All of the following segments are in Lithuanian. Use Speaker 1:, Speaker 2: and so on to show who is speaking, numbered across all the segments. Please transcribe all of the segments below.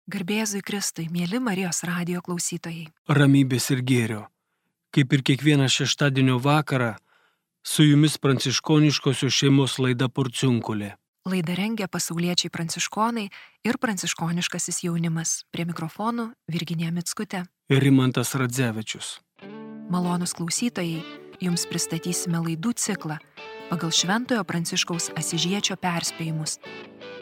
Speaker 1: Garbėzui Kristui, mėly Marijos radijo klausytojai.
Speaker 2: Ramybės ir gėrio. Kaip ir kiekvieną šeštadienio vakarą, su jumis pranciškoniškosios šeimos laida Porciunkulė.
Speaker 1: Laidą rengia pasauliečiai pranciškonai ir pranciškoniškasis jaunimas. Prie mikrofonų Virginija Mickutė
Speaker 2: ir Rimantas Radzevičius.
Speaker 1: Malonūs klausytojai, jums pristatysime laidų ciklą pagal Šventojo Pranciškaus Asyžiečio perspėjimus.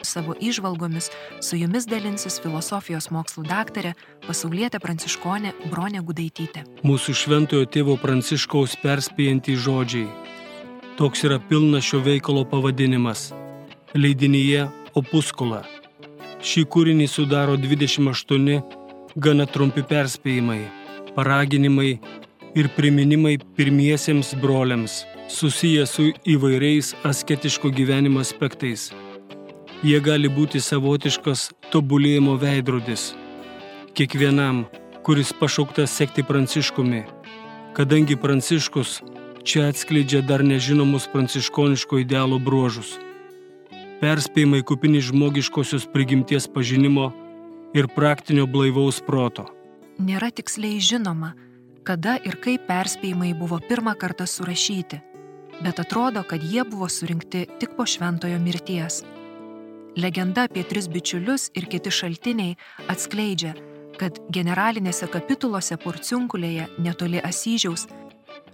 Speaker 1: Savo įžvalgomis su jumis dalinsis filosofijos mokslų daktarė, pasaulietė pranciškonė Bronė Gudaitytė.
Speaker 2: Mūsų šventojo tėvo Pranciškaus perspėjantys žodžiai. Toks yra pilnas šio veikalo pavadinimas. Leidinyje Opuscula. Šį kūrinį sudaro 28 gana trumpi perspėjimai, paraginimai ir priminimai pirmiesiems broliams, susiję su įvairiais asketiško gyvenimo aspektais. Jie gali būti savotiškas tobulėjimo veidrodis kiekvienam, kuris pašauktas sekti Pranciškumi, kadangi Pranciškus čia atskleidžia dar nežinomus pranciškoniško idealo bruožus. Perspėjimai kupini žmogiškosios prigimties pažinimo ir praktinio blaivaus proto.
Speaker 1: Nėra tiksliai žinoma, kada ir kaip perspėjimai buvo pirmą kartą surašyti, bet atrodo, kad jie buvo surinkti tik po šventojo mirties. Legenda apie 3 bičiulius ir kiti šaltiniai atskleidžia, kad generalinėse kapitulose Porciunkulėje netoli Asyžiaus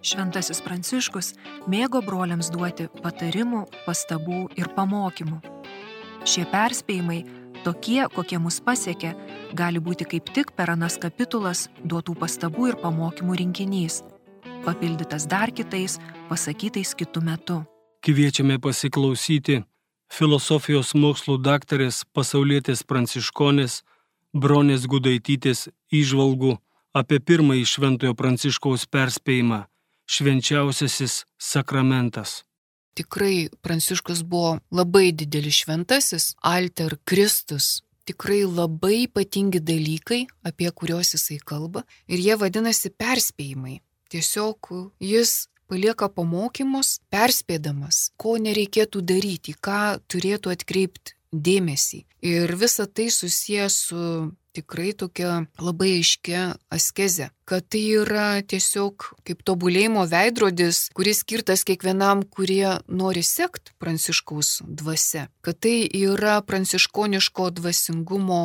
Speaker 1: šventasis Pranciškus mėgo broliams duoti patarimų, pastabų ir pamokymų. Šie perspėjimai, tokie, kokie mus pasiekia, gali būti kaip tik per anas kapitulas duotų pastabų ir pamokymų rinkinys, papildytas dar kitais, pasakytais kitu metu.
Speaker 2: Kviečiame pasiklausyti filosofijos mokslų daktarės, pasaulietės pranciškonės Bronės Gudaitytės įžvalgų apie pirmąjį Šventojo Pranciškaus perspėjimą – švenčiausiasis sakramentas.
Speaker 3: Tikrai Pranciškus buvo labai didelis šventasis, alter Kristus. Tikrai labai ypatingi dalykai, apie kuriuos jisai kalba, ir jie vadinasi perspėjimai. Tiesiog jis palieka pamokymus, perspėdamas, ko nereikėtų daryti, ką turėtų atkreipti dėmesį. Ir visa tai susijęs su tikrai tokia labai aiškia askeze, kad tai yra tiesiog kaip tobulėjimo veidrodis, kuris skirtas kiekvienam, kurie nori sekti Pranciškaus dvasia, kad tai yra pranciškoniško dvasingumo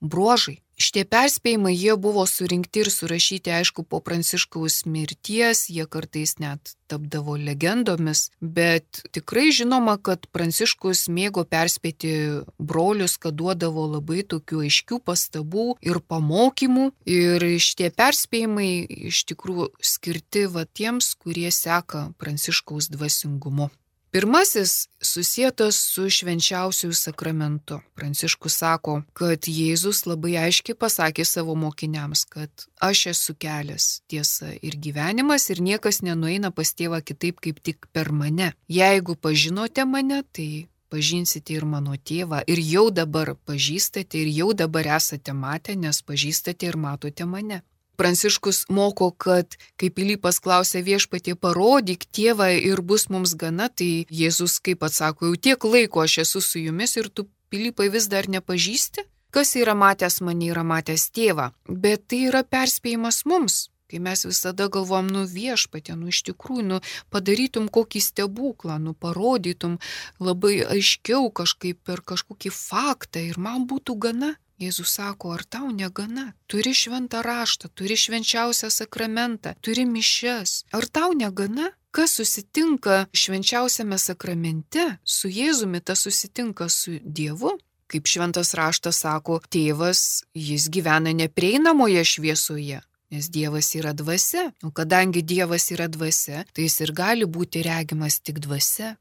Speaker 3: bruožai. Šitie perspėjimai, jie buvo surinkti ir surašyti, aišku, po Pranciškaus mirties, jie kartais net tapdavo legendomis, bet tikrai žinoma, kad Pranciškus mėgo perspėti brolius, kad duodavo labai tokių aiškių pastabų ir pamokymų, ir šitie perspėjimai iš tikrųjų skirti tiems, kurie seka Pranciškaus dvasingumu. Pirmasis susietas su švenčiausiųjų sakramentu. Pranciškus sako, kad Jėzus labai aiškiai pasakė savo mokiniams, kad aš esu kelias, tiesa ir gyvenimas ir niekas nenueina pas tėvą kitaip kaip tik per mane. Jeigu pažinote mane, tai pažinsite ir mano tėvą ir jau dabar pažįstate ir jau dabar esate matę, nes pažįstate ir matote mane. Pranciškus moko, kad kai Pilypas klausė viešpatie, parodyk tėvą ir bus mums gana, tai Jėzus kaip atsako, jau tiek laiko aš esu su jumis ir tu, Pilypai, vis dar nepažįsti? Kas yra matęs mane, yra matęs tėvą. Bet tai yra perspėjimas mums, kai mes visada galvom, viešpatie, iš tikrųjų, padarytum kokį stebuklą, parodytum labai aiškiau kažkaip per kažkokį faktą ir man būtų gana. Jėzus sako, ar tau negana? Turi šventą raštą, turi švenčiausią sakramentą, turi mišias. Ar tau negana? Kas susitinka švenčiausiame sakramente su Jėzumi, tas susitinka su Dievu? Kaip šventas raštas sako, tėvas, jis gyvena neprieinamoje šviesoje, nes Dievas yra dvasia. O kadangi Dievas yra dvasia, tai jis ir gali būti regimas tik dvasia.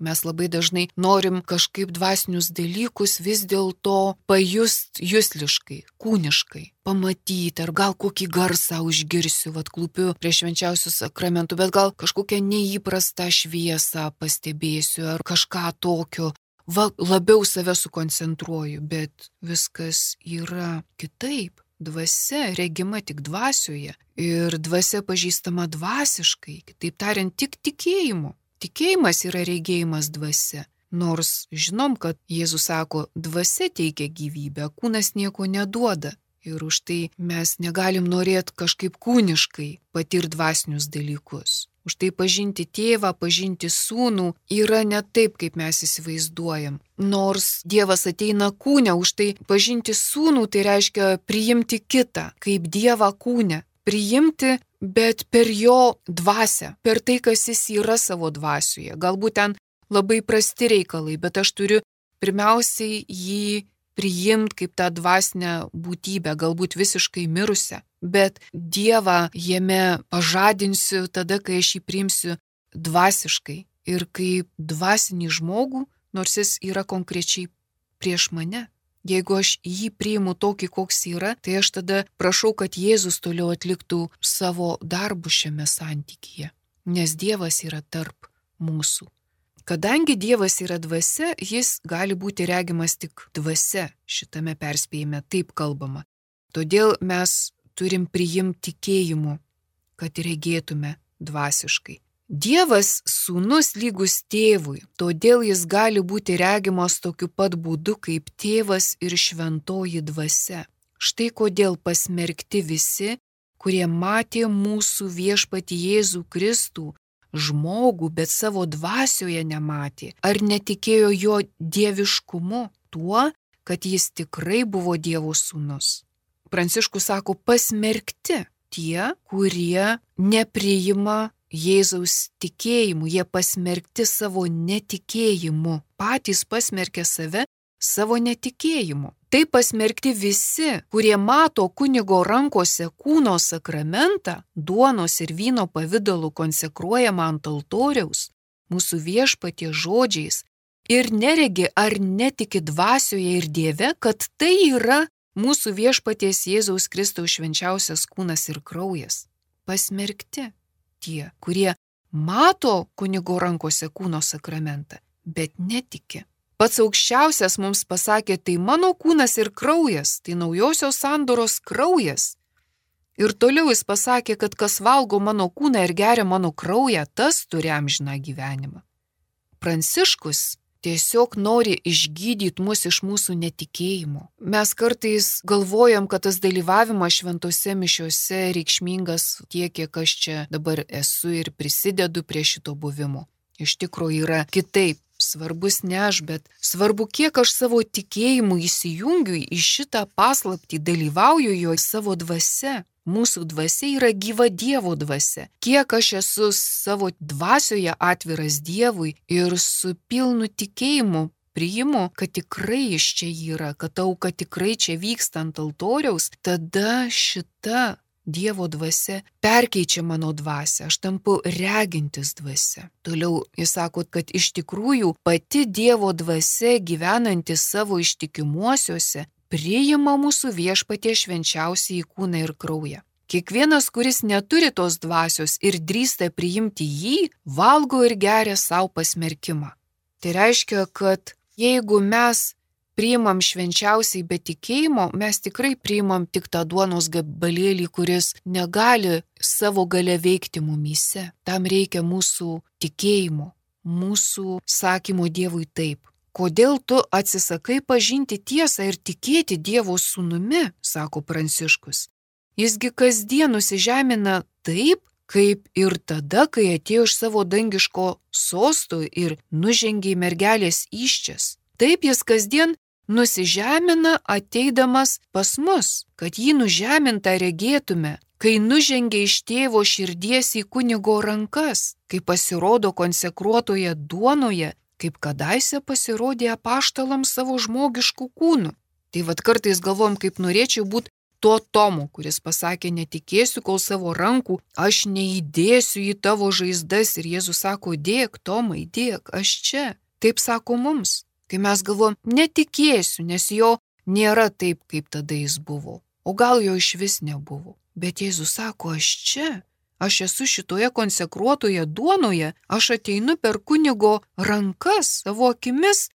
Speaker 3: Mes labai dažnai norim kažkaip dvasinius dalykus vis dėlto pajust jusliškai, kūniškai, pamatyti, ar gal kokį garsą užgirsiu, klūpiu prie švenčiausių sakramentų, bet gal kažkokią neįprastą šviesą pastebėsiu, ar kažką tokio, labiau save sukoncentruoju, bet viskas yra kitaip. Dvasia regima tik dvasioje ir dvasia pažįstama dvasiškai, kitaip tariant, tik tikėjimu. Tikėjimas yra regėjimas dvasia. Nors žinom, kad Jėzus sako, dvasia teikia gyvybę, kūnas nieko neduoda. Ir už tai mes negalim norėti kažkaip kūniškai patirti dvasinius dalykus. Už tai pažinti tėvą, pažinti sūnų yra ne taip, kaip mes įsivaizduojam. Nors Dievas ateina kūne, už tai pažinti sūnų tai reiškia priimti kitą, kaip Dievą kūne. Priimti, bet per jo dvasią, per tai, kas jis yra savo dvasioje. Galbūt ten labai prasti reikalai, bet aš turiu pirmiausiai jį priimti kaip tą dvasinę būtybę, galbūt visiškai mirusią. Bet Dievą jame pažadinsiu tada, kai aš jį priimsiu dvasiškai ir kaip dvasinį žmogų, nors jis yra konkrečiai prieš mane. Jeigu aš jį priimu tokį, koks yra, tai aš tada prašau, kad Jėzus toliau atliktų savo darbų šiame santykyje, nes Dievas yra tarp mūsų. Kadangi Dievas yra dvasia, jis gali būti regimas tik dvasia, šitame perspėjime taip kalbama. Todėl mes turim priimti tikėjimu, kad regėtume dvasiškai. Dievas sūnus lygus tėvui, todėl jis gali būti regimas tokiu pat būdu kaip tėvas ir šventoji dvasia. Štai kodėl pasmerkti visi, kurie matė mūsų viešpatį Jėzų Kristų, žmogų, bet savo dvasioje nematė, ar netikėjo jo dieviškumu, tuo, kad jis tikrai buvo Dievo sūnus. Pranciškus sako, pasmerkti tie, kurie nepriima Jėzaus tikėjimu, jie pasmerkti savo netikėjimu, patys pasmerkė save savo netikėjimu. Tai pasmerkti visi, kurie mato kunigo rankose kūno sakramentą, duonos ir vyno pavidalu konsekruojamą ant altoriaus, mūsų viešpaties žodžiais, ir neregi ar netiki dvasioje ir Dieve, kad tai yra mūsų viešpaties Jėzaus Kristaus švenčiausias kūnas ir kraujas. Pasmerkti tie, kurie mato kunigo rankose kūno sakramentą, bet netiki. Pats aukščiausias mums pasakė, tai mano kūnas ir kraujas, tai naujosios sandoros kraujas. Ir toliau jis pasakė, kad kas valgo mano kūną ir geria mano kraują, tas turi amžiną gyvenimą. Pranciškus tiesiog nori išgydyti mus iš mūsų netikėjimo. Mes kartais galvojam, kad tas dalyvavimas šventose mišiose reikšmingas tiek, kiek aš čia dabar esu ir prisidedu prie šito buvimo. Iš tikrųjų yra kitaip. Svarbus ne aš, bet svarbu, kiek aš savo tikėjimu įsijungiu į šitą paslaptį, dalyvauju jo savo dvasia. Mūsų dvasia yra gyva Dievo dvasia. Kiek aš esu savo dvasioje atviras Dievui ir su pilnu tikėjimu priimu, kad tikrai iš čia yra, kad auka tikrai čia vyksta ant altoriaus, tada šita Dievo dvasia perkeičia mano dvasią, aš tampu regintis dvasia. Toliau jis sako, kad iš tikrųjų pati Dievo dvasia gyvenanti savo ištikimuosiuose priima mūsų viešpaties švenčiausiąjį kūną ir kraują. Kiekvienas, kuris neturi tos dvasios ir drįsta priimti jį, valgo ir geria savo pasmerkimą. Tai reiškia, kad jeigu mes priimam švenčiausiai be tikėjimo, mes tikrai priimam tik tą duonos gabalėlį, kuris negali savo gale veikti mumyse. Tam reikia mūsų tikėjimo, mūsų sakymo Dievui taip. Kodėl tu atsisakai pažinti tiesą ir tikėti Dievo sūnumi, sako Pranciškus. Jisgi kasdien nusižemina taip, kaip ir tada, kai atėjo iš savo dangiško sosto ir nužengė į mergelės įsčias. Taip jis kasdien nusižemina ateidamas pas mus, kad jį nužemintą regėtume, kai nužengia iš tėvo širdies į kunigo rankas, kai pasirodo konsekruotoje duonoje, kaip kadaise pasirodė apaštalams savo žmogiškų kūnų. Tai vat kartais galvom, kaip norėčiau būti tuo Tomu, kuris pasakė, netikėsiu, kol savo rankų aš neįdėsiu į tavo žaizdas. Ir Jėzus sako, dėk, Tomai, dėk, aš čia. Taip sako mums. Kai mes galvom, netikėsiu, nes jo nėra taip, kaip tada jis buvo. O gal jo iš vis nebuvo. Bet Jėzus sako, aš čia. Aš esu šitoje konsekruotoje duonoje. Aš ateinu per kunigo rankas, savo akimis.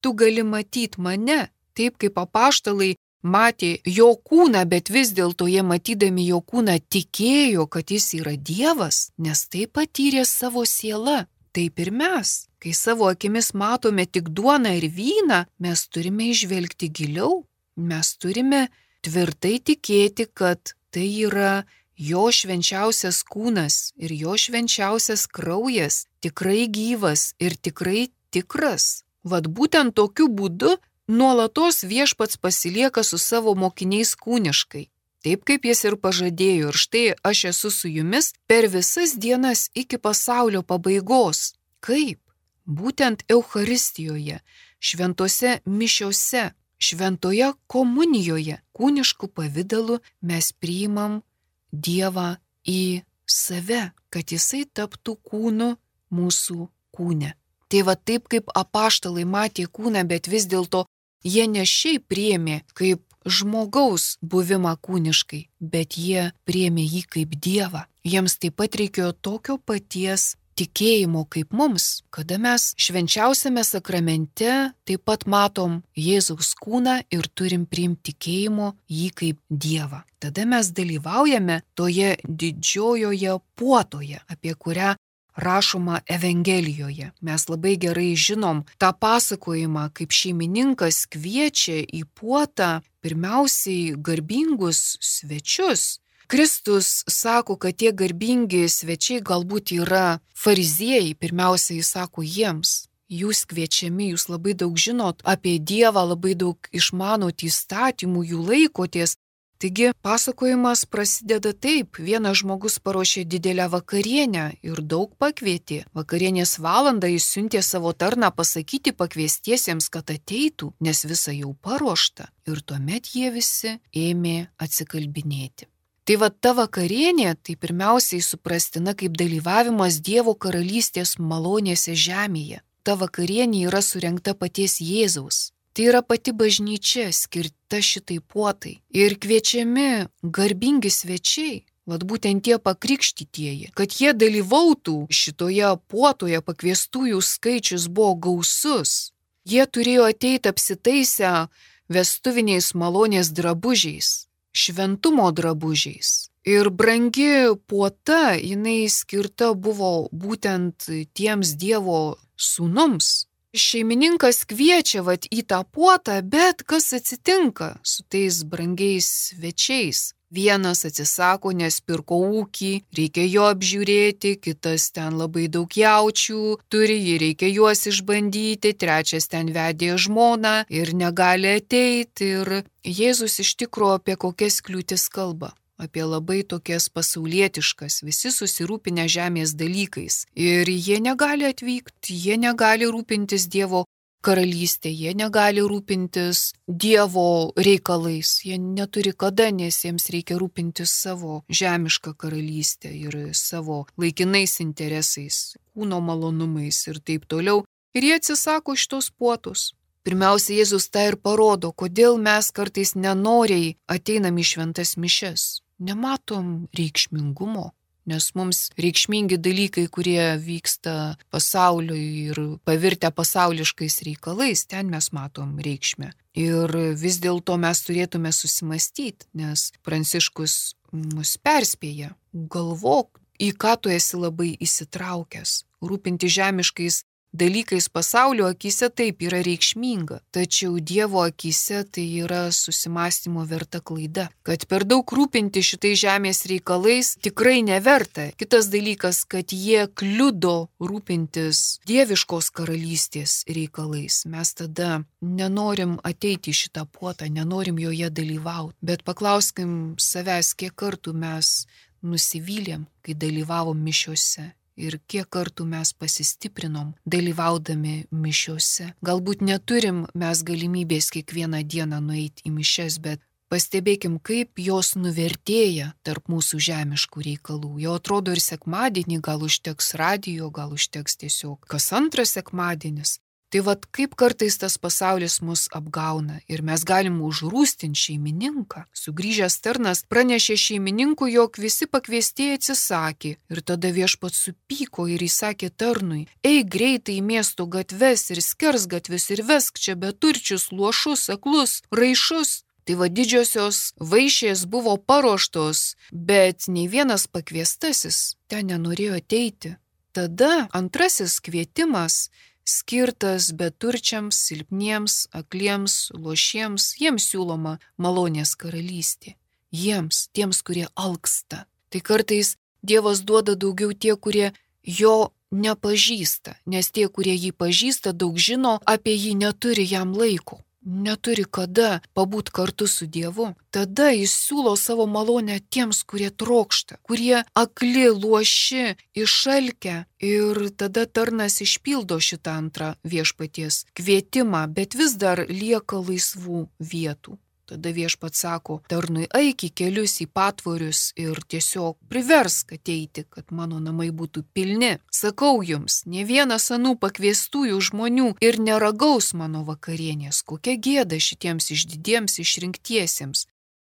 Speaker 3: Tu gali matyti mane. Taip kaip apaštalai matė jo kūną, bet vis dėlto jie matydami jo kūną tikėjo, kad jis yra Dievas, nes tai patyrė savo siela. taip ir mes. Kai savo akimis matome tik duoną ir vyną, mes turime išvelgti giliau. Mes turime tvirtai tikėti, kad tai yra jo švenčiausias kūnas ir jo švenčiausias kraujas, tikrai gyvas ir tikrai tikras. Vat būtent tokiu būdu nuolatos viešpats pasilieka su savo mokiniais kūniškai. Taip kaip jis ir pažadėjo, ir štai aš esu su jumis per visas dienas iki pasaulio pabaigos. Kaip? Būtent Eucharistijoje, šventose mišiose, šventoje komunijoje, kūniškų pavidalu mes priimam Dievą į save, kad jisai taptų kūnu mūsų kūne. Tai va taip kaip apaštalai matė kūną, bet vis dėlto jie ne šiaip priėmė kaip žmogaus buvimą kūniškai, bet jie priėmė jį kaip Dievą. Jiems taip pat reikėjo tokio paties tikėjimo kaip mums, kada mes švenčiausiame sakramente taip pat matom Jėzaus kūną ir turim priimti tikėjimo jį kaip Dievą. Tada mes dalyvaujame toje didžiojoje puotoje, apie kurią rašoma Evangelijoje. Mes labai gerai žinom tą pasakojimą, kaip šeimininkas kviečia į puotą pirmiausiai garbingus svečius. Kristus sako, kad tie garbingi svečiai galbūt yra fariziejai, pirmiausiai jis sako jiems. Jūs kviečiami, jūs labai daug žinot apie Dievą, labai daug išmanot įstatymų, jų laikotės. Taigi pasakojimas prasideda taip, vienas žmogus paruošė didelę vakarienę ir daug pakvietė. Vakarienės valandą jis siuntė savo tarną pasakyti pakviestiesiems, kad ateitų, nes visa jau paruošta. Ir tuomet jie visi ėmė atsikalbinėti. Tai va ta vakarienė, tai pirmiausiai suprastina kaip dalyvavimas Dievo karalystės malonėse žemėje. Ta vakarienė yra surengta paties Jėzaus. Tai yra pati bažnyčia skirta šitai puotai. Ir kviečiami garbingi svečiai, vat būtent tie pakrikštytieji, kad jie dalyvautų šitoje puotoje, pakviestųjų skaičius buvo gausus. Jie turėjo ateiti apsitaisę vestuviniais malonės drabužiais, šventumo drabužiais. Ir brangi puota, jinai skirta buvo būtent tiems Dievo sūnums. Šeimininkas kviečia vat į tą puotą, bet kas atsitinka su tais brangiais svečiais? Vienas atsisako, nes pirko ūkį, reikia jo apžiūrėti, kitas ten labai daug jaučių turi, jį reikia juos išbandyti, trečias ten vedė žmoną ir negali ateiti. Ir Jėzus iš tikrųjų apie kokias kliūtis kalba. Apie labai tokias pasaulietiškas, visi susirūpinę žemės dalykais. Ir jie negali atvykti, jie negali rūpintis Dievo karalystė, jie negali rūpintis Dievo reikalais, jie neturi kada, nes jiems reikia rūpintis savo žemišką karalystę ir savo laikinais interesais, kūno malonumais ir taip toliau. Ir jie atsisako šitos puotos. Pirmiausia, Jėzus tą ir parodo, kodėl mes kartais nenoriai ateinam į šventas mišias. Nematom reikšmingumo, nes mums reikšmingi dalykai, kurie vyksta pasauliui ir pavirtę pasauliškais reikalais, ten mes matom reikšmę. Ir vis dėlto mes turėtume susimastyti, nes Pranciškus mus perspėja, galvok, į ką tu esi labai įsitraukęs, rūpinti žemiškais dalykais pasaulio akise taip yra reikšminga, tačiau Dievo akise tai yra susimąstymo verta klaida, kad per daug rūpinti šitai žemės reikalais tikrai neverta. Kitas dalykas, kad jie kliudo rūpintis dieviškos karalystės reikalais. Mes tada nenorim ateiti į šitą puotą, nenorim joje dalyvauti, bet paklauskim savęs, kiek kartų mes nusivylėm, kai dalyvavom mišiuose. Ir kiek kartų mes pasistiprinom dalyvaudami mišiuose. Galbūt neturim mes galimybės kiekvieną dieną nueiti į mišias, bet pastebėkim, kaip jos nuvertėja tarp mūsų žemiškų reikalų. Jau atrodo ir sekmadienį gal užteks radijo, gal užteks tiesiog kas antras sekmadienis. Tai vat kaip kartais tas pasaulis mus apgauna ir mes galim užrūstinti šeimininką. Sugrįžęs tarnas pranešė šeimininkui, jog visi pakviestieji atsisakė. Ir tada viešpats supyko ir įsakė tarnui: eik greitai į miesto gatves ir skersgatvius ir vesk čia beturčius, luošus, aklus, raišus. Tai va didžiosios vaišės buvo paruoštos, bet nei vienas pakviestasis ten nenorėjo ateiti. tada antrasis kvietimas skirtas beturčiams, silpniems, akliems, luošiems, jiems siūloma malonės karalystė. Jiems, tiems, kurie alksta. Tai kartais Dievas duoda daugiau tie, kurie jo nepažįsta, nes tie, kurie jį pažįsta, daug žino, apie jį neturi jam laiko. Neturi kada pabūt kartu su Dievu. Tada jis siūlo savo malonę tiems, kurie trokšta, kurie akli, luoši, išalkę. Ir tada tarnas išpildo šitą antrą viešpaties kvietimą, bet vis dar lieka laisvų vietų. Tada viešpats sako tarnui, eik į kelius, į patvorius ir tiesiog priversk ateiti, kad mano namai būtų pilni. Sakau jums, ne vienas anų pakviestųjų žmonių ir neragaus mano vakarienės. Kokia gėda šitiems išdidiems išrinktiesiems,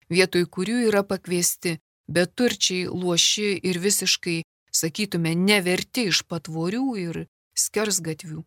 Speaker 3: vietoj kurių yra pakviesti beturčiai, luoši ir visiškai, sakytume, neverti iš patvorių ir skersgatvių.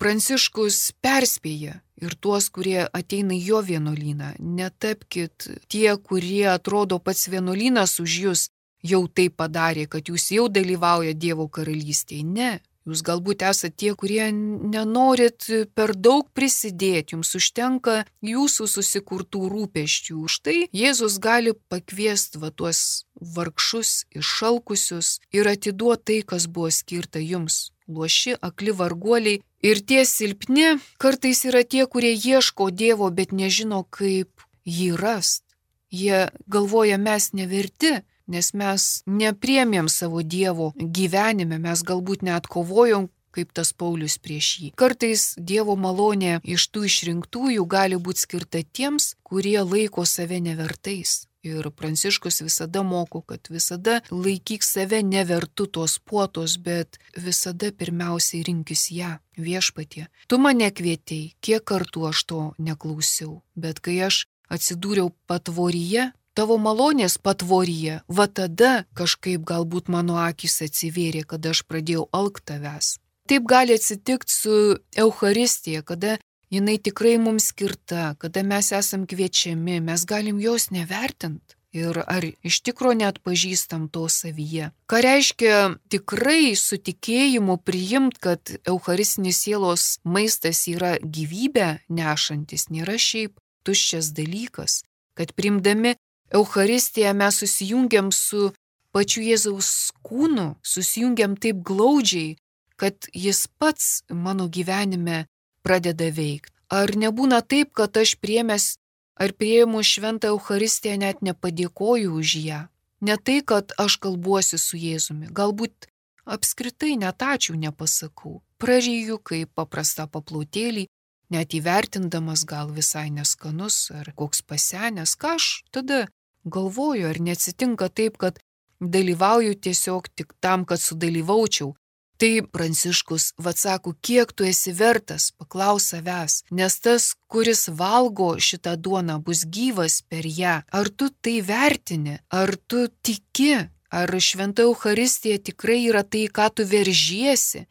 Speaker 3: Pranciškus perspėja ir tuos, kurie ateina į jo vienuolyną. Netapkit tie, kurie atrodo pats vienuolynas už jūs jau tai padarė, kad jūs jau dalyvauja Dievo karalystėje. Ne, jūs galbūt esate tie, kurie nenorit per daug prisidėti, jums užtenka jūsų susikurtų rūpesčių. Už tai Jėzus gali pakviesti tuos vargšus, iššalkusius ir atiduoti tai, kas buvo skirta jums. Luoši, akli varguoliai. Ir tie silpni kartais yra tie, kurie ieško Dievo, bet nežino, kaip jį rast. Jie galvoja, mes neverti, nes mes nepriėmėm savo Dievo gyvenime, mes galbūt net kovojom, kaip tas Paulius prieš jį. Kartais Dievo malonė iš tų išrinktųjų gali būti skirta tiems, kurie laiko save nevertais. Ir Pranciškus visada moko, kad visada laikyk save nevertu tos puotos, bet visada pirmiausiai rinkis ją, viešpatie. Tu mane kvietei, kiek kartų aš to neklausiau, bet kai aš atsidūriau patvoryje, tavo malonės patvoryje, va tada kažkaip galbūt mano akys atsivėrė, kada aš pradėjau alkt tavęs. Taip gali atsitikti su Eucharistija, kada jinai tikrai mums skirta, kada mes esam kviečiami, mes galim jos nevertinti. Ir ar iš tikro net pažįstam to savyje. Ką reiškia tikrai su tikėjimu priimt, kad eucharistinis sielos maistas yra gyvybę nešantis, nėra šiaip tuščias dalykas. Kad priimdami Eucharistiją mes susijungiam su pačiu Jėzaus kūnu, susijungiam taip glaudžiai, kad jis pats mano gyvenime pradeda veikti. Ar nebūna taip, kad aš priėmęs ar priėmus šventą Eucharistiją net nepadėkoju už ją? Ne tai, kad aš kalbuosi su Jėzumi, galbūt apskritai net ačiū nepasakau. Praryju kaip paprastą paplotėlį, net įvertindamas gal visai neskanus ar koks pasenęs, ką aš tada galvoju, ar neatsitinka taip, kad dalyvauju tiesiog tik tam, kad sudalyvaučiau. Tai Pranciškus sako, kiek tu esi vertas, paklaus savęs, nes tas, kuris valgo šitą duoną, bus gyvas per ją. Ar tu tai vertini, ar tu tiki, ar šventa Eucharistija tikrai yra tai, ką tu veržiesi?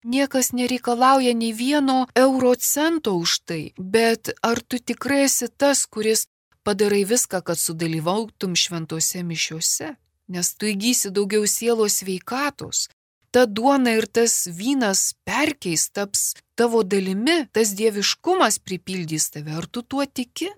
Speaker 3: Niekas nereikalauja nei vieno euro cento už tai, bet ar tu tikrai esi tas, kuris padarai viską, kad sudalyvautum šventose mišiose? Nes tu įgysi daugiau sielos sveikatos. Ta duona ir tas vynas perkeis, taps tavo dalimi, tas dieviškumas pripildys tave. Ar tu tuo tiki?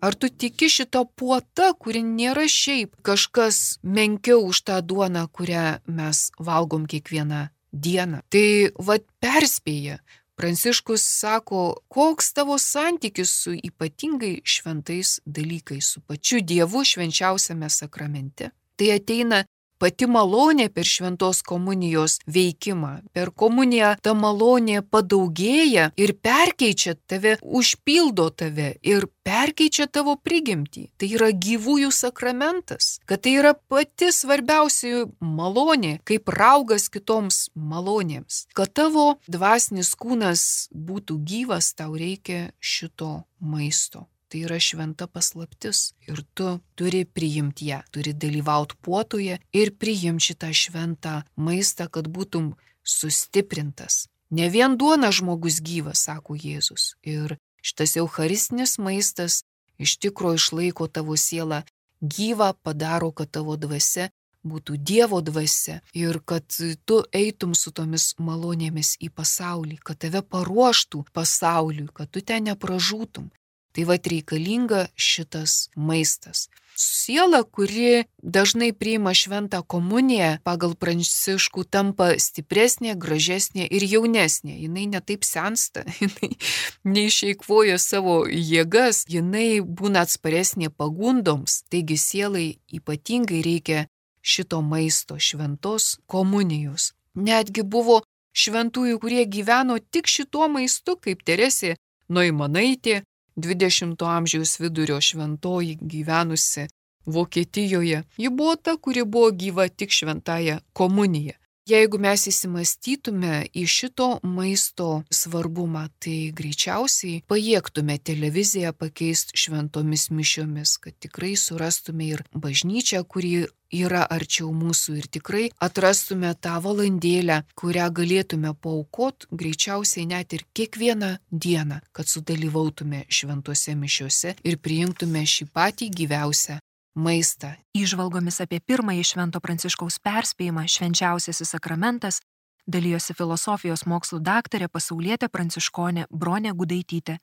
Speaker 3: Ar tu tiki šitą puotą, kuri nėra šiaip kažkas menkiau už tą duoną, kurią mes valgom kiekvieną dieną? Tai perspėja. Pranciškus sako, koks tavo santykis su ypatingai šventais dalykais, su pačiu Dievu švenčiausiame sakramente. Tai ateina pati malonė per šventos komunijos veikimą. Per komuniją ta malonė padaugėja ir perkeičia tave, užpildo tave ir perkeičia tavo prigimtį. Tai yra gyvųjų sakramentas, kad tai yra pati svarbiausia malonė, kaip raugas kitoms malonėms. Kad tavo dvasinis kūnas būtų gyvas, tau reikia šito maisto. Tai yra šventa paslaptis ir tu turi priimti ją, turi dalyvauti puotoje ir priimti šitą šventą maistą, kad būtum sustiprintas. Ne vien duona žmogus gyvas, sako Jėzus. Ir šitas eucharistinis maistas iš tikro išlaiko tavo sielą gyvą, padaro, kad tavo dvasia būtų Dievo dvasia ir kad tu eitum su tomis malonėmis į pasaulį, kad tave paruoštų pasauliui, kad tu ten nepražūtum. Tai reikalinga šitas maistas. Siela, kuri dažnai priima šventą komuniją, pagal Pranciškų tampa stipresnė, gražesnė ir jaunesnė. Jinai netaip sensta, jinai neišeikvoja savo jėgas, jinai būna atsparesnė pagundoms. Taigi sielai ypatingai reikia šito maisto, šventos komunijos. Netgi buvo šventųjų, kurie gyveno tik šituo maistu, kaip Teresė Noimanaitė, 20 amžiaus vidurio šventoji gyvenusi Vokietijoje. Ji buvo ta, kuri buvo gyva tik šventąją komuniją. Jeigu mes įsimastytume į šito maisto svarbumą, tai greičiausiai pajėgtume televiziją pakeisti šventomis mišiomis, kad tikrai surastume ir bažnyčią, kuri yra arčiau mūsų ir tikrai atrastume tą valandėlę, kurią galėtume paaukoti greičiausiai net ir kiekvieną dieną, kad sudalyvautume šventose mišiose ir priimtume šį patį gyviausią maistą.
Speaker 1: Įžvalgomis apie pirmąjį Švento Pranciškaus perspėjimą Švenčiausiasis sakramentas dalijosi filosofijos mokslų daktarė pasaulietė pranciškonė Bronė Gudaitytė.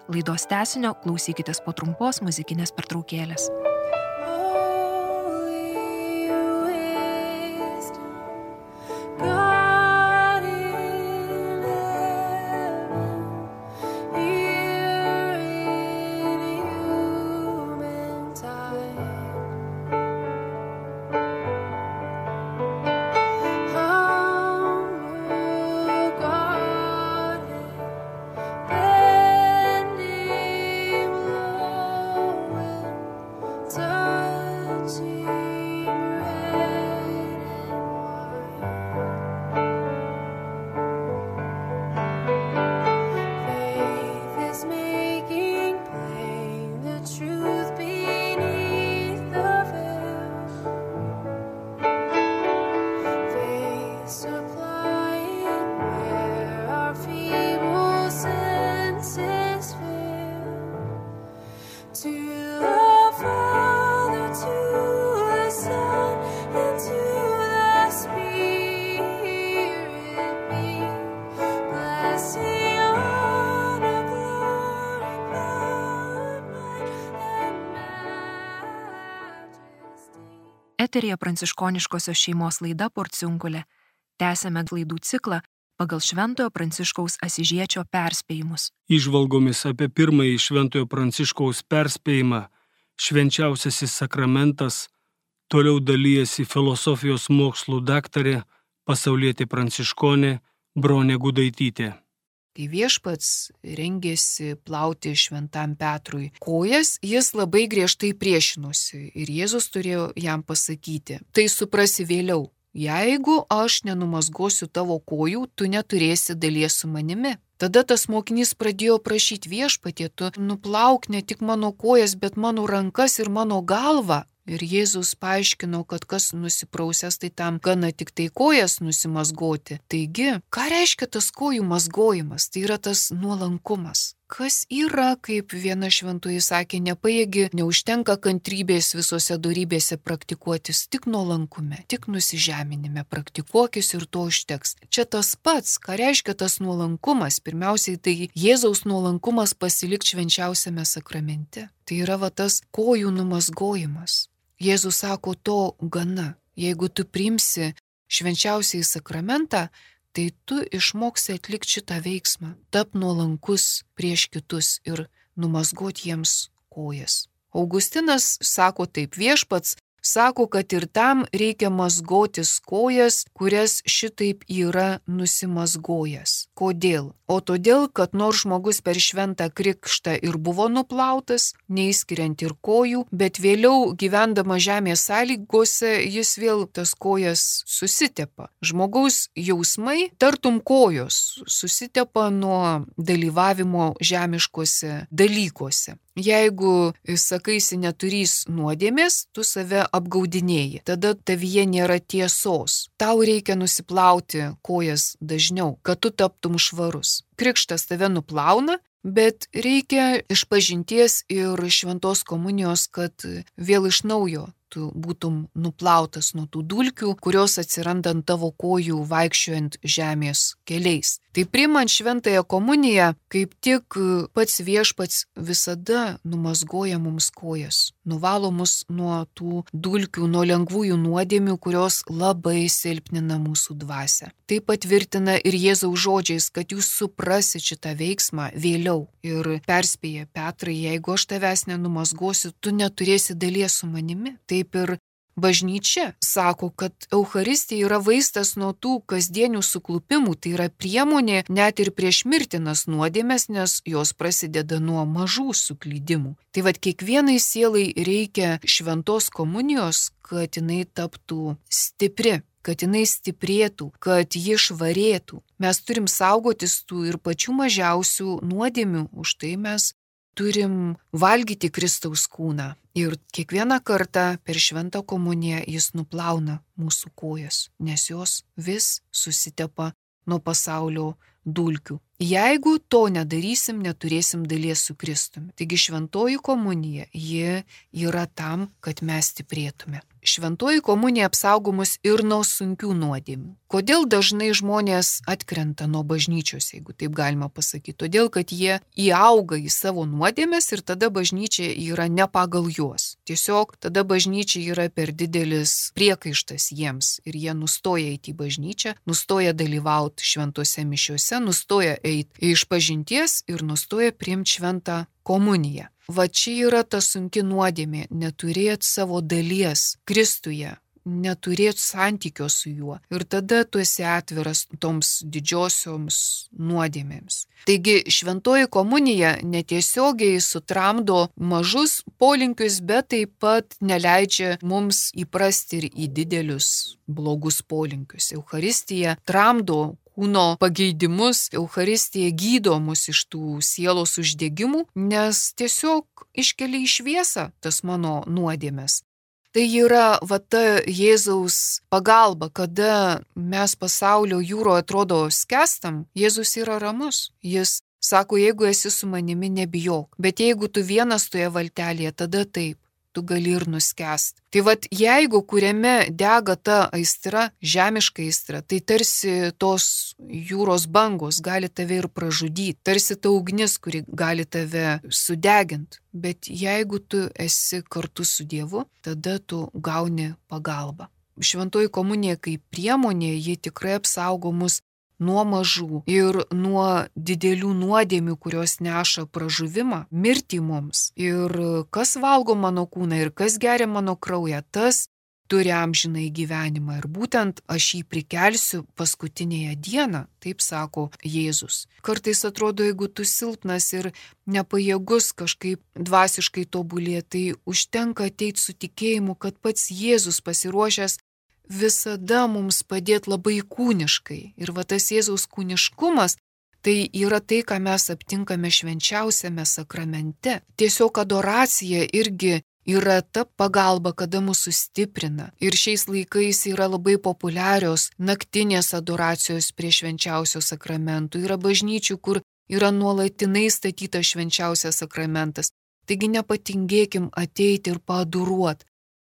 Speaker 1: Laidos tęsinio klausykitės po trumpos muzikinės pertraukėlės. Eteryje pranciškoniškosios šeimos laida Porciunkulė. Tęsiame laidų ciklą pagal Šventojo Pranciškaus Asyžiečio perspėjimus.
Speaker 2: Įžvalgomis apie pirmąjį Šventojo Pranciškaus perspėjimą Švenčiausiasis sakramentas toliau dalijasi filosofijos mokslų daktarė pasaulietė pranciškonė Bronė Gudaitytė.
Speaker 3: Kai viešpats rengėsi plauti šventam Petrui kojas, jis labai griežtai priešinosi ir Jėzus turėjo jam pasakyti: tai suprasi vėliau, jeigu aš nenumazgosiu tavo kojų, tu neturėsi dalies su manimi. Tada tas mokinys pradėjo prašyti: viešpatie, tu nuplauk ne tik mano kojas, bet mano rankas ir mano galvą. Ir Jėzus paaiškino, kad kas nusiprausęs, tai tam gana tik tai kojas nusimazgoti. Taigi, ką reiškia tas kojų mazgojimas? Tai yra tas nuolankumas. Kas yra, kaip viena šventoji sakė, nepajėgi, neužtenka kantrybės visose dorybėse praktikuotis, tik nuolankume, tik nusižeminime praktikuokis ir to užteks. Čia tas pats, ką reiškia tas nuolankumas. Pirmiausiai, tai Jėzaus nuolankumas pasilikti švenčiausiame sakramente. Tai yra tas kojų numazgojimas. Jėzus sako, to gana. Jeigu tu priimsi švenčiausiąjį sakramentą, tai tu išmoksi atlikti šitą veiksmą, tap nuolankus prieš kitus ir numazgoti jiems kojas. Augustinas sako taip: viešpats sako, kad ir tam reikia mazgotis kojas, kurias šitaip yra nusimazgojęs. Kodėl? O todėl, kad nors žmogus per šventą krikštą ir buvo nuplautas, neįskiriant ir kojų, bet vėliau gyvendama žemės sąlygose jis vėl tas kojas susitepa. Žmogaus jausmai, tartum kojos, susitepa nuo dalyvavimo žemiškose dalykuose. Jeigu sakaisi neturys nuodėmės, tu save apgaudinėji. Tada tavyje nėra tiesos. Tau reikia nusiplauti kojas dažniau, kad tu taptum švarus. Krikštas tave nuplauna, bet reikia išpažinties ir šventos komunijos, kad vėl iš naujo tu būtum nuplautas nuo tų dulkių, kurios atsiranda ant tavo kojų vaikščiojant žemės keliais. Tai priimant šventąją komuniją, kaip tik pats viešpats visada numazgoja mums kojas, nuvalo mus nuo tų dulkių, nuo lengvųjų nuodėmių, kurios labai silpnina mūsų dvasią. Tai patvirtina ir Jėzaus žodžiais, kad jūs suprasit šitą veiksmą vėliau. Ir perspėja Petrai, jeigu aš tavęs nenumazgosiu, tu neturėsi dalies su manimi. Taip ir bažnyčia sako, kad Eucharistija yra vaistas nuo tų kasdienių suklupimų, tai yra priemonė net ir prieš mirtinas nuodėmes, nes jos prasideda nuo mažų suklydimų. Tai vad kiekvienai sielai reikia šventos komunijos, kad jinai taptų stipri, kad jinai stiprėtų, kad ji švarėtų. Mes turim saugotis tų ir pačių mažiausių nuodėmių, už tai mes turim valgyti Kristaus kūną. Ir kiekvieną kartą per šventą komuniją jis nuplauna mūsų kojas, nes jos vis susitepa nuo pasaulio dulkių. Jeigu to nedarysim, neturėsim dalies su Kristumi. Taigi šventoji komunija, ji yra tam, kad mes stiprėtume. Šventoji komunija apsaugo mus ir nuo sunkių nuodėmių. Kodėl dažnai žmonės atkrenta nuo bažnyčios, jeigu taip galima pasakyti? Todėl, kad jie įauga į savo nuodėmes ir tada bažnyčia yra ne pagal juos. Tiesiog tada bažnyčia yra per didelis priekaištas jiems ir jie nustoja eiti į bažnyčią, nustoja dalyvauti šventose mišiuose, nustoja eiti išpažinties ir nustoja priimti šventą komuniją. Va čia yra ta sunki nuodėmė - neturėti savo dalies Kristuje, neturėti santykio su juo. Ir tada tu esi atviras toms didžiosioms nuodėmėms. Taigi šventoji komunija netiesiogiai sutramdo mažus polinkius, bet taip pat neleidžia mums įprasti ir į didelius blogus polinkius. Eucharistija tramdo kūno pageidimus, Eucharistija gydo mus iš tų sielos uždegimų, nes tiesiog iškelia į šviesą tas mano nuodėmes. Tai yra va ta Jėzaus pagalba, kada mes pasaulio jūroje atrodo skęstam, Jėzus yra ramus. Jis sako, jeigu esi su manimi, nebijok, bet jeigu tu vienas toje valtelėje, tada taip. Tu gali ir nuskęsti. Tai vat jeigu kuriame dega ta aistra, žemiška aistra, tai tarsi tos jūros bangos gali tave ir pražudyti, tarsi ta ugnis, kuri gali tave sudeginti. Bet jeigu tu esi kartu su Dievu, tada tu gauni pagalbą. Šventoji komunija kaip priemonė, ji tikrai apsaugo mus nuo mažų ir nuo didelių nuodėmių, kurios neša pražuvimą, mirtį mums. Ir kas valgo mano kūną ir kas geria mano kraują, tas turi amžinąjį gyvenimą. Ir būtent aš jį prikelsiu paskutinėje dieną, taip sako Jėzus. Kartais atrodo, jeigu tu silpnas ir nepajėgus kažkaip dvasiškai tobulėti, tai užtenka ateiti su tikėjimu, kad pats Jėzus pasiruošęs visada mums padėti labai kūniškai. Ir va tas Jėzaus kūniškumas, tai yra tai, ką mes aptinkame švenčiausiame sakramente. Tiesiog adoracija irgi yra ta pagalba, kada mūsų stiprina. Ir šiais laikais yra labai populiarios naktinės adoracijos prie švenčiausio sakramentų. Yra bažnyčių, kur yra nuolatinai statytas švenčiausias sakramentas. Taigi nepatingėkim ateiti ir paadoruoti.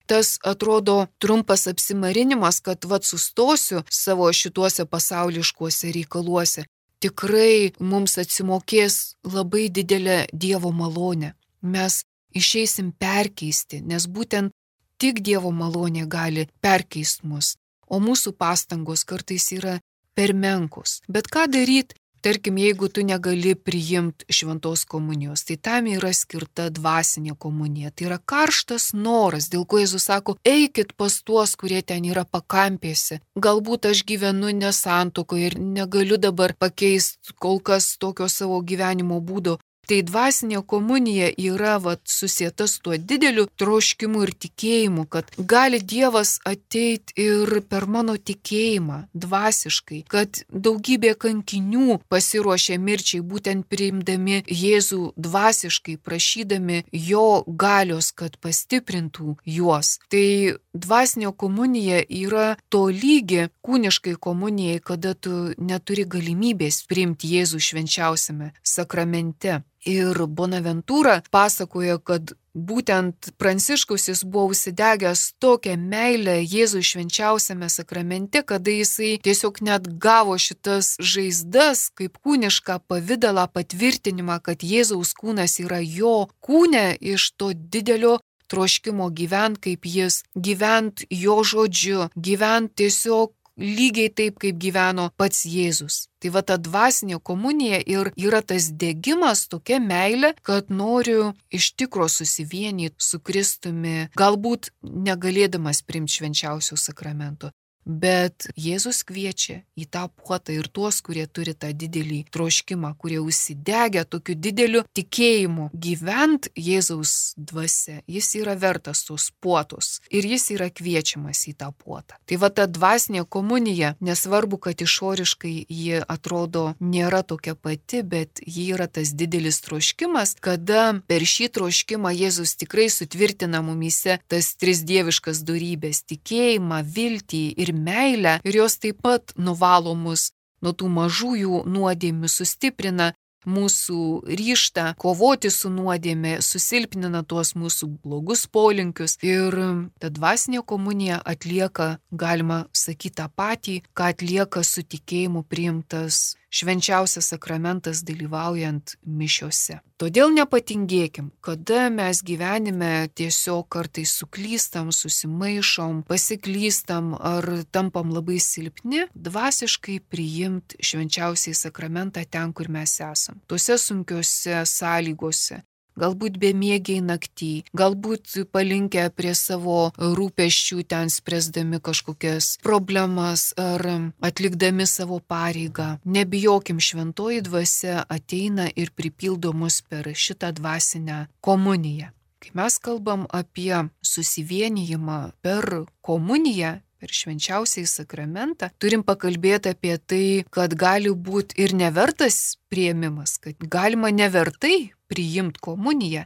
Speaker 3: Tas atrodo trumpas apsimarinimas, kad sustosiu savo šituose pasauliškuose reikaluose. Tikrai mums atsimokės labai didelę Dievo malonę. Mes išeisim perkeisti, nes būtent tik Dievo malonė gali perkeisti mus, o mūsų pastangos kartais yra per menkos. Bet ką daryti? Tarkim, jeigu tu negali priimti šventos komunijos, tai tam yra skirta dvasinė komunija. Tai yra karštas noras, dėl ko Jėzus sako, eikit pas tuos, kurie ten yra pakampėse. Galbūt aš gyvenu nesantuokoje ir negaliu dabar pakeisti kol kas tokio savo gyvenimo būdo. Tai dvasinė komunija yra susieta su tuo dideliu troškimu ir tikėjimu, kad gali Dievas ateiti ir per mano tikėjimą dvasiškai, kad daugybė kankinių pasiruošė mirčiai, būtent priimdami Jėzų dvasiškai, prašydami jo galios, kad pastiprintų juos. Tai dvasinė komunija yra to lygi kūniškai komunijai, kada tu neturi galimybės priimti Jėzų švenčiausiame sakramente. Ir Bonaventūra pasakoja, kad būtent Pranciškus jis buvo užsidegęs tokią meilę Jėzui švenčiausiame sakramente, kada jisai tiesiog net gavo šitas žaizdas kaip kūnišką pavidalą patvirtinimą, kad Jėzaus kūnas yra jo kūne iš to didelio troškimo gyvent kaip jis, gyvent jo žodžiu, gyvent tiesiog lygiai taip, kaip gyveno pats Jėzus. Tai va ta dvasinė komunija ir yra tas degimas, tokia meilė, kad noriu iš tikro susivienyti su Kristumi, galbūt negalėdamas priimti švenčiausio sakramento. Bet Jėzus kviečia į tą puotą ir tuos, kurie turi tą didelį troškimą, kurie užsidegę tokiu dideliu tikėjimu gyvent Jėzaus dvasia. Jis yra vertas tos puotos ir jis yra kviečiamas į tą puotą. Tai va ta dvasinė komunija, nesvarbu, kad išoriškai ji atrodo nėra tokia pati, bet ji yra tas didelis troškimas, kada per šį troškimą Jėzus tikrai sutvirtina mumyse tas tris dieviškas dorybės - tikėjimą, viltį ir meilę, ir jos taip pat nuvalo mus nuo tų mažųjų nuodėmių, sustiprina mūsų ryžtą kovoti su nuodėmė, susilpnina tuos mūsų blogus polinkius. Ir ta dvasinė komunija atlieka, galima sakyti, tą patį, ką atlieka su tikėjimu priimtas švenčiausias sakramentas dalyvaujant mišiose. Todėl nepatingėkim, kada mes gyvenime tiesiog kartais suklystam, susimaišom, pasiklystam ar tampam labai silpni, dvasiškai priimt švenčiausiai sakramentą ten, kur mes esam. Tuose sunkiose sąlygose. Galbūt bemiegiai naktį, galbūt palinkę prie savo rūpesčių ten spręsdami kažkokias problemas ar atlikdami savo pareigą. Nebijokim, šventoji dvasia ateina ir pripildo mus per šitą dvasinę komuniją. Kai mes kalbam apie susivienijimą per komuniją, per švenčiausiai sakramentą, turim pakalbėti apie tai, kad gali būti ir nevertas priėmimas, kad galima nevertai priimti komuniją.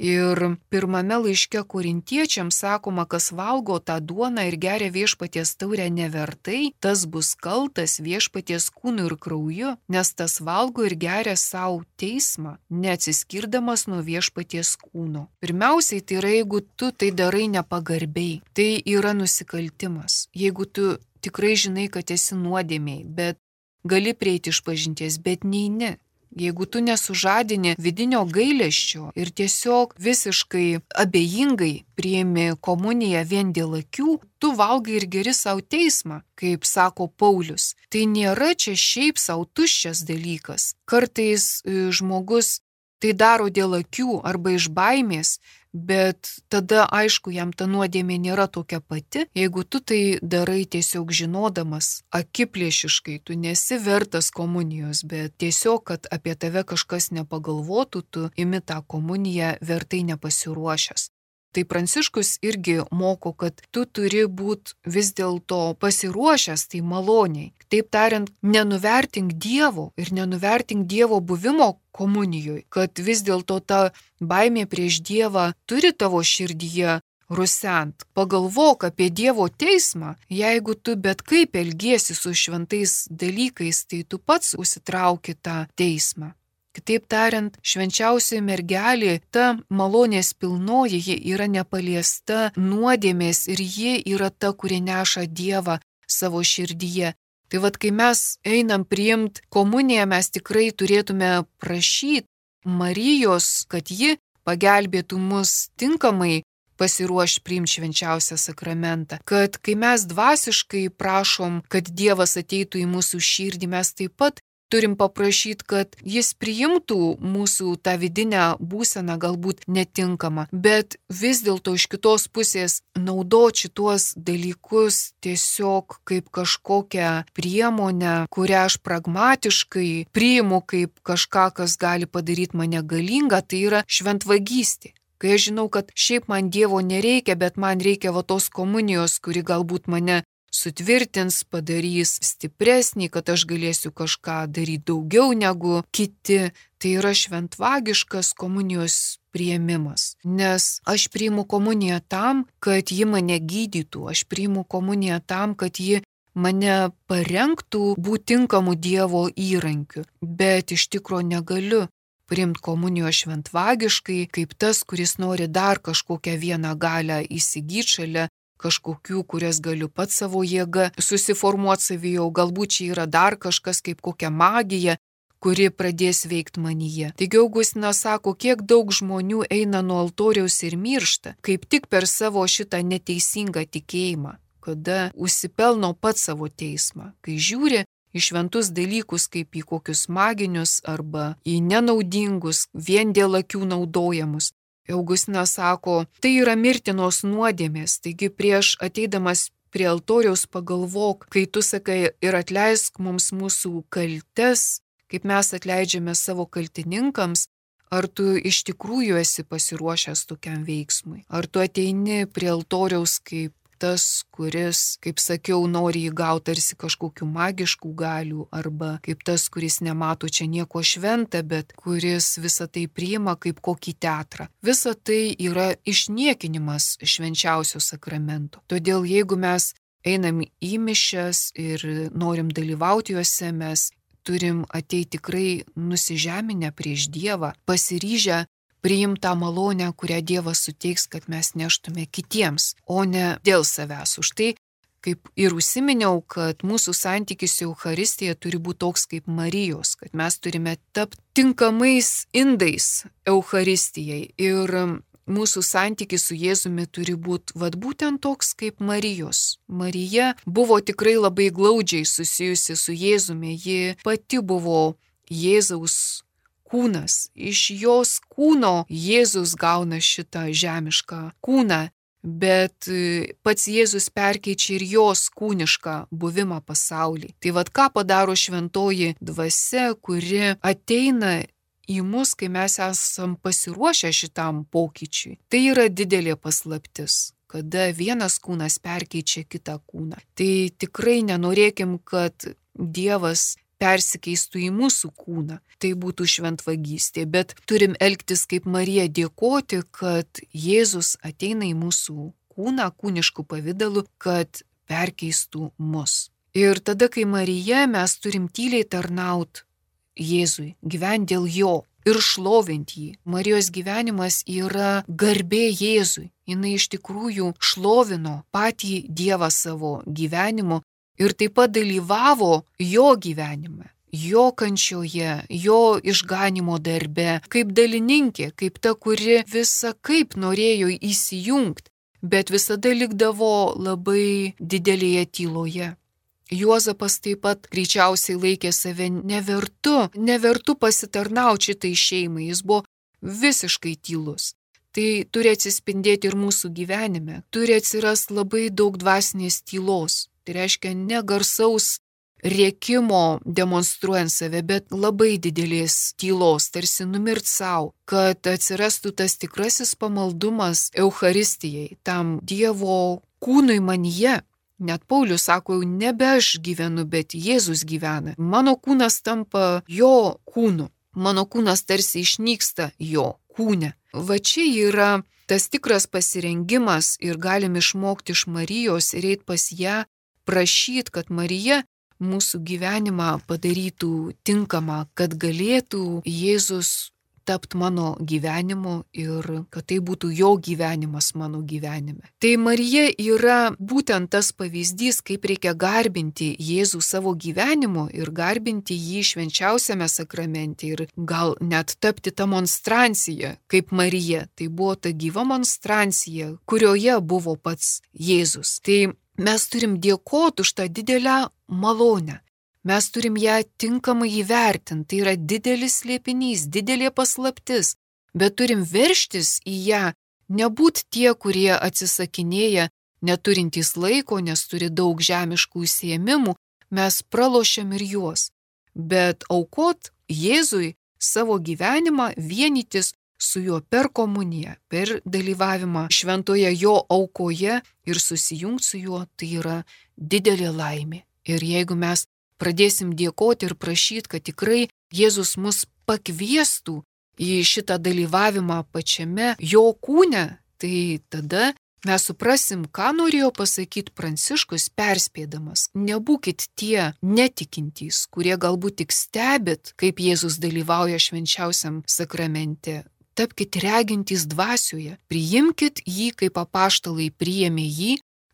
Speaker 3: Ir pirmame laiške Korintiečiams sakoma, kas valgo tą duoną ir geria viešpaties taurę nevertai, tas bus kaltas viešpaties kūnu ir krauju, nes tas valgo ir geria savo teismą, neatsiskirdamas nuo viešpaties kūno. Pirmiausiai, tai yra, jeigu tu tai darai nepagarbiai, tai yra nusikaltimas. Jeigu tu tikrai žinai, kad esi nuodėmiai, bet gali prieiti išpažinties, bet neini. Jeigu tu nesužadini vidinio gailesčio ir tiesiog visiškai abejingai priimi komuniją vien dėl akių, tu valgai ir geri savo teismą, kaip sako Paulius. Tai nėra čia šiaip savo tuščias dalykas. Kartais žmogus tai daro dėl akių arba iš baimės, bet tada aišku, jam ta nuodėmė nėra tokia pati. Jeigu tu tai darai tiesiog žinodamas, akiplėšiškai, tu nesi vertas komunijos, bet tiesiog, kad apie tave kažkas nepagalvotų, tu imi tą komuniją vertai nepasiruošęs. Tai Pranciškus irgi moko, kad tu turi būti vis dėlto pasiruošęs tai maloniai. Taip tariant, nenuvertink Dievo ir nenuvertink Dievo buvimo komunijoje, kad vis dėlto ta baimė prieš Dievą turi tavo širdyje rusent. Pagalvok apie Dievo teismą. Jeigu tu bet kaip elgiesi su šventais dalykais, tai tu pats užsitrauki tą teismą. Kitaip tariant, švenčiausioji mergelė, ta malonės pilnoji, ji yra nepaliesta nuodėmės ir ji yra ta, kuri neša Dievą savo širdyje. Tai vad, kai mes einam priimti komuniją, mes tikrai turėtume prašyti Marijos, kad ji pagelbėtų mus tinkamai pasiruošti priimti švenčiausią sakramentą. Kad kai mes dvasiškai prašom, kad Dievas ateitų į mūsų širdį, mes taip pat turim paprašyti, kad jis priimtų mūsų tą vidinę būseną galbūt netinkamą, bet vis dėlto iš kitos pusės naudoti šitos dalykus tiesiog kaip kažkokią priemonę, kurią aš pragmatiškai priimu kaip kažką, kas gali padaryti mane galingą, tai yra šventvagystė. Kai aš žinau, kad šiaip man Dievo nereikia, bet man reikia va tos komunijos, kuri galbūt mane sutvirtins, padarys stipresnį, kad aš galėsiu kažką daryti daugiau negu kiti. Tai yra šventvagiškas komunijos priėmimas. Nes aš priimu komuniją tam, kad ji mane gydytų. Aš priimu komuniją tam, kad ji mane parengtų būti tinkamų Dievo įrankių. Bet iš tikro negaliu priimti komunijos šventvagiškai, kaip tas, kuris nori dar kažkokią vieną galę įsigyti šalia kažkokių, kurias galiu pats savo jėga susiformuoti savyje, o galbūt čia yra dar kažkas kaip kokia magija, kuri pradės veikti manyje. Taigi Augustinas sako, kiek daug žmonių eina nuo altoriaus ir miršta, kaip tik per savo šitą neteisingą tikėjimą, kada užsipelno pats savo teismą, kai žiūri į šventus dalykus kaip į kokius maginius arba į nenaudingus, vien dėl akių naudojamus. Augustinas sako, tai yra mirtinos nuodėmės, taigi prieš ateidamas prie altoriaus pagalvok, kai tu sakai ir atleisk mums mūsų kaltes, kaip mes atleidžiame savo kaltininkams, ar tu iš tikrųjų esi pasiruošęs tokiam veiksmui, ar tu ateini prie altoriaus kaip tas, kuris, kaip sakiau, nori įgauti tarsi kažkokių magiškų galių, arba kaip tas, kuris nemato čia nieko šventą, bet kuris visą tai priima kaip kokį teatrą. Visa tai yra išniekinimas švenčiausio sakramento. Todėl jeigu mes einam į mišias ir norim dalyvauti juose, mes turim ateiti tikrai nusižeminę prieš Dievą, pasiryžę priimtą malonę, kurią Dievas suteiks, kad mes neštume kitiems, o ne dėl savęs. Už tai, kaip ir užsiminiau, kad mūsų santykis su Eucharistija turi būti toks kaip Marijos, kad mes turime tapti tinkamais indais Eucharistijai ir mūsų santykis su Jėzumi turi būti būtent toks kaip Marijos. Marija buvo tikrai labai glaudžiai susijusi su Jėzumi, ji pati buvo Jėzaus kūnas. Iš jos kūno Jėzus gauna šitą žemišką kūną, bet pats Jėzus perkeičia ir jos kūnišką buvimą pasaulį. Tai ką padaro šventoji dvasia, kuri ateina į mus, kai mes esam pasiruošę šitam pokyčiui. Tai yra didelė paslaptis, kada vienas kūnas perkeičia kitą kūną. Tai tikrai nenorėkim, kad Dievas persikeistų į mūsų kūną. Tai būtų šventvagystė, bet turim elgtis kaip Marija, dėkoti, kad Jėzus ateina į mūsų kūną, kūniškų pavidalų, kad perkeistų mus. Ir tada, kai Marija, mes turim tyliai tarnaut Jėzui, gyventi dėl jo ir šlovinti jį. Marijos gyvenimas yra garbė Jėzui. Jis iš tikrųjų šlovino patį Dievą savo gyvenimu ir taip pat dalyvavo jo gyvenime, jo kančioje, jo išganimo darbe, kaip dalininkė, kaip ta, kuri visa kaip norėjo įsijungti, bet visada likdavo labai didelėje tyloje. Juozapas taip pat greičiausiai laikė save nevertu pasitarnauti šitai šeimai, jis buvo visiškai tylus. Tai turi atsispindėti ir mūsų gyvenime, turi atsirasti labai daug dvasinės tylos. Tai reiškia ne garsaus rėkimo demonstruojant save, bet labai didelės tylos, tarsi numirt savo, kad atsirastų tas tikrasis pamaldumas Eucharistijai, tam Dievo kūnui manyje. Net Paulius sako, jau nebe aš gyvenu, bet Jėzus gyvena. Mano kūnas tampa jo kūnu, mano kūnas tarsi išnyksta jo kūne. Va čia yra tas tikras pasirengimas ir galim išmokti iš Marijos ir eiti pas ją, prašyti, kad Marija mūsų gyvenimą padarytų tinkamą, kad galėtų Jėzus tapti mano gyvenimu ir kad tai būtų jo gyvenimas mano gyvenime. Tai Marija yra būtent tas pavyzdys, kaip reikia garbinti Jėzų savo gyvenimu ir garbinti jį švenčiausiame sakramente ir gal net tapti tą monstranciją kaip Marija. Tai buvo ta gyva monstrancija, kurioje buvo pats Jėzus. Tai mes turim dėkoti už tą didelę malonę. Mes turim ją tinkamai įvertinti. Tai yra didelis slėpinys, didelė paslaptis. Bet turim veržtis į ją, nebūt tie, kurie atsisakinėja, neturintys laiko, nes turi daug žemiškų užsiėmimų. Mes pralošiam ir juos. Bet aukot Jėzui savo gyvenimą, vienytis su juo per komuniją, per dalyvavimą šventoje jo aukoje ir susijungti su juo, tai yra didelė laimė. Ir jeigu mes pradėsim dėkoti ir prašyti, kad tikrai Jėzus mus pakviestų į šitą dalyvavimą pačiame jo kūne, tai tada mes suprasim, ką norėjo pasakyti Pranciškus perspėdamas. Nebūkit tie netikintys, kurie galbūt tik stebit, kaip Jėzus dalyvauja švenčiausiam sakramente. Tapkite regintys dvasioje, priimkit jį, kaip apaštalai priėmė jį,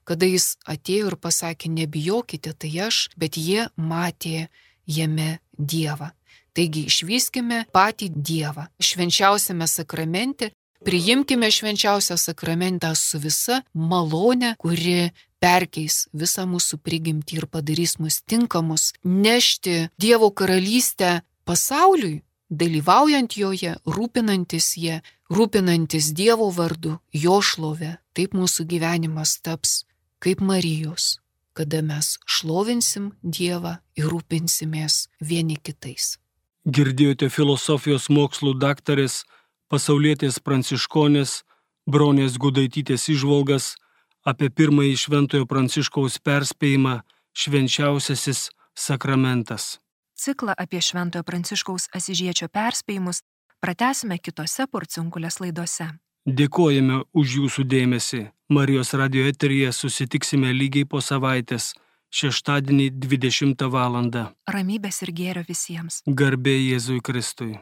Speaker 3: kada jis atėjo ir pasakė, nebijokite, tai aš, bet jie matė jame Dievą. Taigi išvyskime patį Dievą švenčiausiame sakramente, priimkime švenčiausią sakramentą su visa malone, kuri perkeis visą mūsų prigimtį ir padarys mus tinkamus nešti Dievo karalystę pasauliui, dalyvaujant joje, rūpinantis Dievo vardu, jo šlove. Taip mūsų gyvenimas taps kaip Marijos, kada mes šlovinsim Dievą ir rūpinsimės vieni kitais.
Speaker 2: Girdėjote filosofijos mokslų daktarės, pasaulietės pranciškonės Bronės Gudaitytės įžvalgas apie pirmąjį Šventojo Pranciškaus perspėjimą švenčiausiasis sakramentas.
Speaker 1: Ciklą apie Šventojo Pranciškaus Asyžiečio perspėjimus pratęsime kitose Porciunkulės laidose.
Speaker 2: Dėkojame už jūsų dėmesį. Marijos radijo eteryje susitiksime lygiai po savaitės, šeštadienį 20 val.
Speaker 1: Ramybės ir gėrio visiems.
Speaker 2: Garbė Jėzui Kristui.